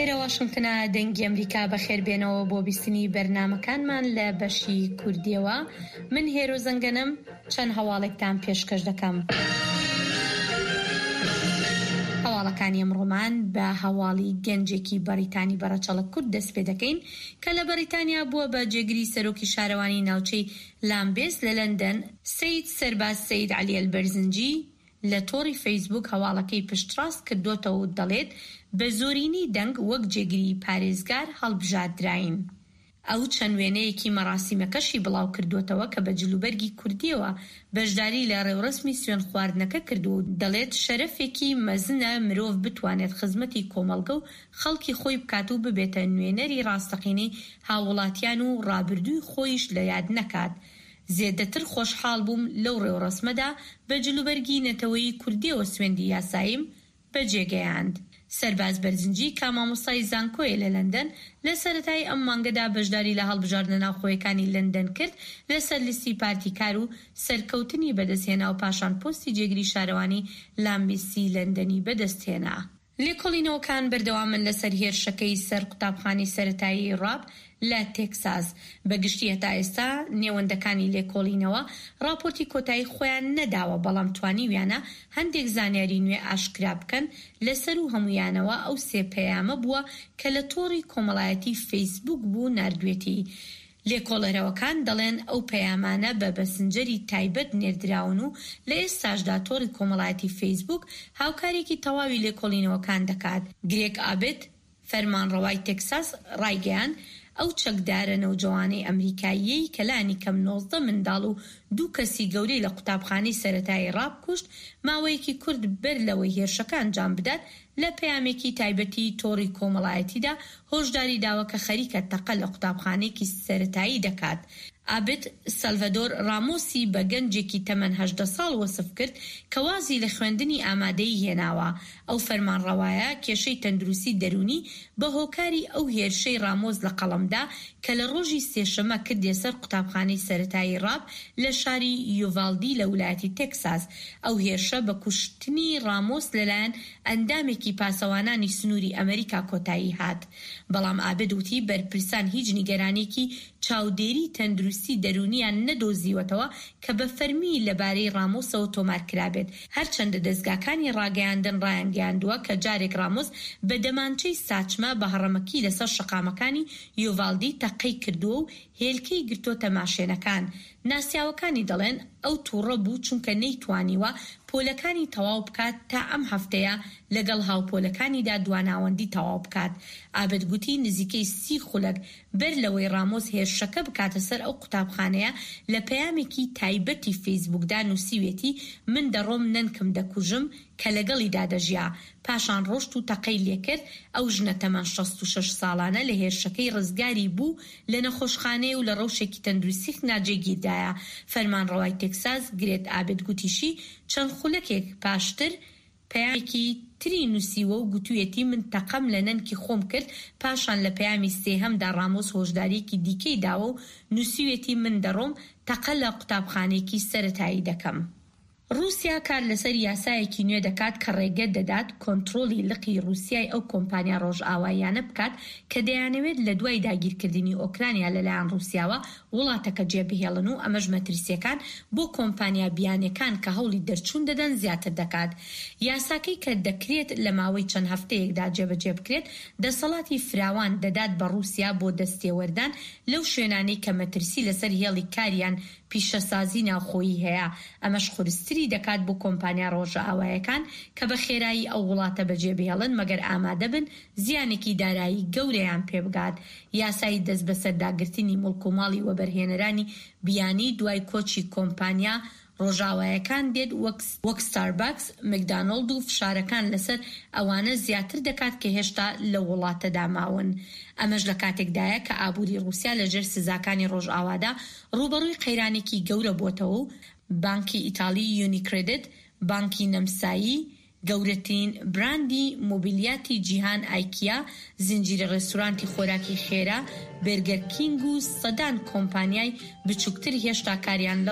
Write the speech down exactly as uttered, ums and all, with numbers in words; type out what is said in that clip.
لێرە واشنگتنە دەنگی ئەمریکا بەخێربێنەوە بۆ بیستنی بەرنامەکانمان لە بەشی کوردیەوە من هێرۆ زەنگەنەم چەند هەواڵێکتان پێشکەش دەکەم. هەواڵەکانی ئەمڕۆمان بە هەواڵی گەنجێکی بەڕیتانی بە ڕەچەڵەک کورد دەست پێ دەکەین کە لە بەڕیتانیا بووە بە جێگری سەرۆکی شارەوانی ناوچەی لامبێس لە لەندەن. سەید سەرباز سەید عەلی ئەلبەرزنجی لە تۆڕی فەیسبووک هەواڵەکەی پشتڕاست کردۆتەوە و دەڵێت بە زۆرینەی دەنگ وەک جێگری پارێزگار هەڵبژاردراین. ئەو چەند وێنەیەکی مەراسیمەکەشی بڵاوکردووەتەوە کە بە جلوبەرگی کوردییەوە بەشداری لە ڕێوڕەسمی سوێندخواردنەکە کردووە و دەڵێت شەرەفێکی مەزنە مرۆڤ بتوانێت خزمەتی کۆمەڵگە و خەڵکی خۆی بکات و ببێتە نوێنەری ڕاستەقینەی هاووڵاتیان و ڕابردووی خۆیش لە یاد نەکات. زێدەتر خۆشحاڵ بووم لەو ڕێوڕەسمەدا بە جلوبەرگی نەتەوەیی کوردییەوە سوێندی یاساییم بەجێگەیاند. سەرباز بەرزنجی کە مامۆستای زانکۆیە لە لەندەن، لە سەرەتای ئەم مانگەدا بەشداری لە هەڵبژاردنە ناوخۆیەکانی لەندەن کرد لەسەر لیستی پارتی کار و سەرکەوتنی بەدەستهێنا و پاشان پۆستی جێگری شارەوانی لامبیسی لەندەنی بەدەستهێنا. لێکۆڵینەوەکان بەردەوامن لەسەر هێرشەکەی سەر قوتابخانەی سەرەتایی ڕاب لە تێکساس. بە گشتی هەتا ئێستا نێوەندەکانی لێکۆڵینەوە ڕاپۆرتی کۆتایی خۆیان نەداوە، بەڵام توانیویانە هەندێک زانیاری نوێ ئاشکرا بکەن، لەسەروو هەموویانەوە ئەو سێ پەیامە بووە کە لە تۆڕی کۆمەڵایەتی فەیسبووک بوو ناردوێتی. لێکۆڵەرەوەکان دەڵێن ئەو پەیامانە بە بەسنجەری تایبەت نێردراون و لە ئێستاشدا تۆڕی کۆمەڵایەتی فەیسبووک هاوکارییەکی تەواوی لێکۆڵینەوەکان دەکات. گرێگ ئابت، فەرمانڕەوای تێکساس ڕایگەیاند، ئەو چەکدارە نەوجەوانەی ئەمریکاییەی کە لانیکەم نۆزدە منداڵ و دوو کەسی گەورەی لە قوتابخانەی سەرەتایی ڕاب کوشت، ماوەیەکی کورت بەر لەوەی هێرشەکە ئەنجام بدات، لە پەیامێکی تایبەتی تۆڕی کۆمەڵایەتیدا هۆشداری داوە کە خەریکە تەقە لە قوتابخانەیەکی سەرەتایی دەکات. ئابت سەلڤادۆر ڕامۆسی بە گەنجێکی تەمەن هەژدە ساڵ وەسف کرد کە وازی لە خوێندنی ئامادەیی هێناوە. ئەو فەرمانڕەوایە کێشەی تەندروستی دەروونی بە هۆکاری ئەو هێرشەی ڕامۆس لە قەڵەمدا کە لە ڕۆژی سێشەممە کردیە سەر قوتابخانەی سەرەتایی ڕاب لە شاری یوڤالدی لە ولایەتی تێکساس. ئەو هێرشە بە کوشتنی ڕامۆس لەلایەن ئەندامێکی پاسەوانانی سنووری ئەمریکا کۆتایی هات. بەڵام ئابد وتی بەرپرسان هیچ نیگەرانییەکی چاودێری تەندروستی دەروونیان نەدۆزیوەتەوە کە بە فەرمی لەبارەی ڕامۆسەوە تۆمار کرابێت، هەرچەندە دەزگاکانی ڕاگەیاندن ڕایانگەیاندووە کە جارێک ڕامۆس بە دەمانچەی ساچمە بە هەڕەمەکی لەسەر شەقامەکانی یوڤالدی تەقەی کردووە و هێلکەی گرتۆتە ماشێنەکان. ناسیاوەکانی دەڵێن ئەو توڕە بوو چونکە نەیتوانیوە پۆلەکانی تەواو بکات تا ئەم هەفتەیە لەگەڵ هاوپۆلەکانیدا دواناوەندی تەواو بکات. ئابد گوتی نزیکەی سی خولەک بەر لەوەی ڕامۆس هێرشەکە بکاتە سەر ئەو قوتابخانەیە لە پەیامێکی تایبەتی فەیسبووکدا نووسیوێتی من دەڕۆم نەنکم دەکوژم کە لەگەڵیدا دەژیا. پاشان ڕۆشت و تەقەی لێکرد، ئەو ژنە تەمەن شەست و شەش ساڵانە لە هێرشەکەی ڕزگاری بوو لە نەخۆشخانەیە و لە ڕەوشێکی تەندروستیی ناجێگیردایە. فەرمانڕەوای تێکساس گرێت ئابێت گوتیشی چەند خولەکێک پاشتر پەیامێکی تری نووسیوە و گوتویەتی من تەقەم لە نەنکی خۆم کرد، پاشان لە پەیامی سێهەمدا ڕامۆس هۆشدارییەکی دیکەی داوە و نووسیویەتی من دەڕۆم تەقە لە قوتابخانەیەکی سەرەتایی دەکەم. ڕووسیا کار لەسەر یاسایەکی نوێ دەکات کە ڕێگە دەدات کۆنترۆڵی لقی ڕووسیای ئەو کۆمپانیا ڕۆژئاواییانە بکات کە دەیانەوێت لە دوای داگیرکردنی ئۆکرانیا لەلایەن ڕووسیاوە وڵاتەکە جێبهێڵن و ئەمەش مەترسییەکان بۆ کۆمپانیا بیانیەکان کە هەوڵی دەرچوون دەدەن زیاتر دەکات. یاساکەی کە دەکرێت لە ماوەی چەند هەفتەیەکدا جێبەجێ بکرێت، دەسەڵاتی فراوان دەدات بە ڕووسیا بۆ دەستێوەردان لەو شوێنانەی کە مەترسی لەسەر هێڵی کاریان پیشەسازی ناوخۆیی هەیە، ئەمەش قورستری دەکات بۆ کۆمپانیا ڕۆژئاوایەکان کە بە خێرایی ئەو وڵاتە بەجێبهێڵن مەگەر ئامادەبن زیانێکی دارایی گەورەیان پێبگات. یاسای دەستبەسەرداگرتنی موڵک و ماڵی وەبەرهێنەرانی بیانی دوای کۆچی کۆمپانیا ڕۆژاوایەکان دێت وەک وەک ستاربەکس، مکدانۆڵد و فشارەکان لەسەر ئەوانە زیاتر دەکات کە هێشتا لەو وڵاتەدا ماون. ئەمەش لە کاتێکدایە کە ئابووری ڕووسیا لەژێر سزاکانی ڕۆژئاوادا ڕووبەڕووی قەیرانێکی گەورە بووەتەوە و بانکی ئیتاڵی یونیکرێدت، بانکی نەمسایی، گەورەترین براندی مۆبیلیاتی جیهان ئایکیا، زنجیرە ڕێستورانتی خۆراکی خێرا بێرگەر کینگ و سەدان کۆمپانیای بچووکتر هێشتا کاریان لە